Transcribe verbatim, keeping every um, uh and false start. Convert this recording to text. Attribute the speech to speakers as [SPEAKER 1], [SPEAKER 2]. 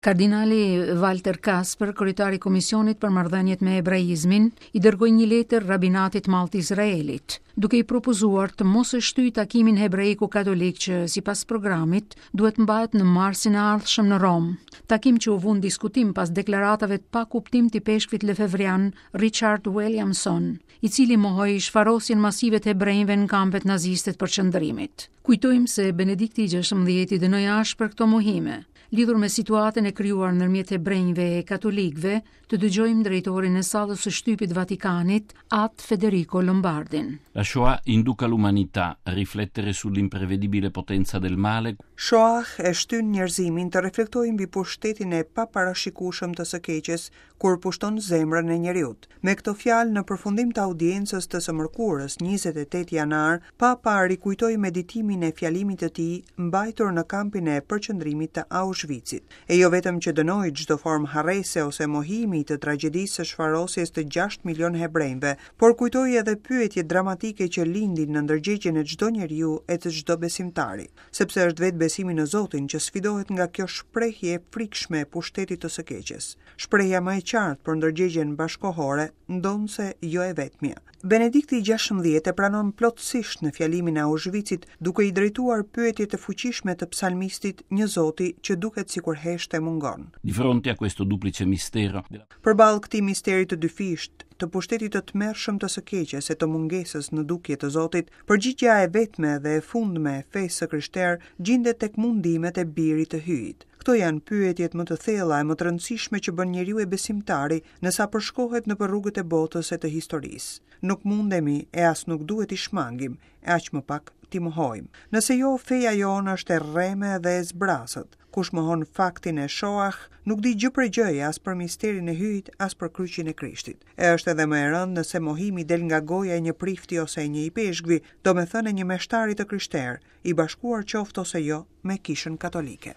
[SPEAKER 1] Kardinali Walter Kasper, kryetari i Komisionit për Marrëdhëniet me Hebraizmin, i dërgoi një letër rabinatit madh të Izraelit, duke i propozuar të mos e shtyjë takimin hebraiko-katolik që, sipas programit, duhet mbahet në marsin e ardhshëm në Romë. Takim që u vu në diskutim pas deklaratave të pakuptim të ipeshkvit lefevrian Richard Williamson, i cili mohoi shfarosjen masive të hebrejve në kampet naziste të përqendrimit. Kujtojmë se Benedikti i gjashtëmbëdhjetë i dënoi ashpër këto mohime. Lidhur me situatën e krijuar ndërmjet hebrejve e katolikëve, të dëgjojmë drejtorin e sallës së shtypit Vatikanit, At Federico Lombardin.
[SPEAKER 2] La Shoah induca l'umanità a riflettere sull'imprevedibile potenza del male.
[SPEAKER 3] Shoah e shtyn njerëzimin të reflektojë mbi pushtetin e paparashikueshëm të së keqes kur pushton zemrën e njeriut. Me këto fjalë në përfundim të audiencës të së mërkurës, njëzet e tetë janar, Papa rikujtoi meditimin e fjalimit të tij mbajtur në kampin e përqendrimit të Auschwitzit. E jo vetëm që dënoi çdo formë harrese ose mohimi të tragjedisë së shfarosjes të gjashtë milion hebrejve, por kujtoi edhe pyetjet dramatike që lindin në ndërgjegjen e çdo njeriu e të çdo besimtari, sepse është vetë besimi në Zotin që sfidohet nga kjo shprehje e frikshme e pushtetit të së keqes. Shprehja më e qartë për ndërgjegjen bashkohore, ndonse jo e vetmja. Benedikti i gjashtëmbëdhjetë e pranon plotësisht në fjalimin e Auschwitzit, duke i drejtuar pyetjet e fuqishme të psalmistit një Zoti që duket sikur hesht e mungon.
[SPEAKER 2] Di fronte a questo duplice mistero della
[SPEAKER 3] Përballë këtij misteri të dyfisht, të pushtetit të tmerrshëm të së keqes e të mungesës në dukje të Zotit, përgjigjja e vetme dhe e fundme e fesë së krishterë gjendet tek mundimet e birit të Hyjit. Këto janë pyetjet më të thella e më të rëndësishme që bën njeriu e besimtari nësa përshkohet nëpër rrugët e botës e të historisë. Nuk mundemi e as nuk duhet i shmangim, e aq më pak t'i mohojmë. Nëse jo, feja jonë është e rreme dhe e zbrazët. Kush mohon faktin e Shoah, nuk di gjë për gjëje as për misterin e Hyjit, as për kryqin e Krishtit. E është edhe më e rëndë nëse mohimi del nga goja e një prifti ose e një ipeshkvi, domethënë e një meshtari të krishterë, i bashkuar qoftë ose jo me Kishën Katolike.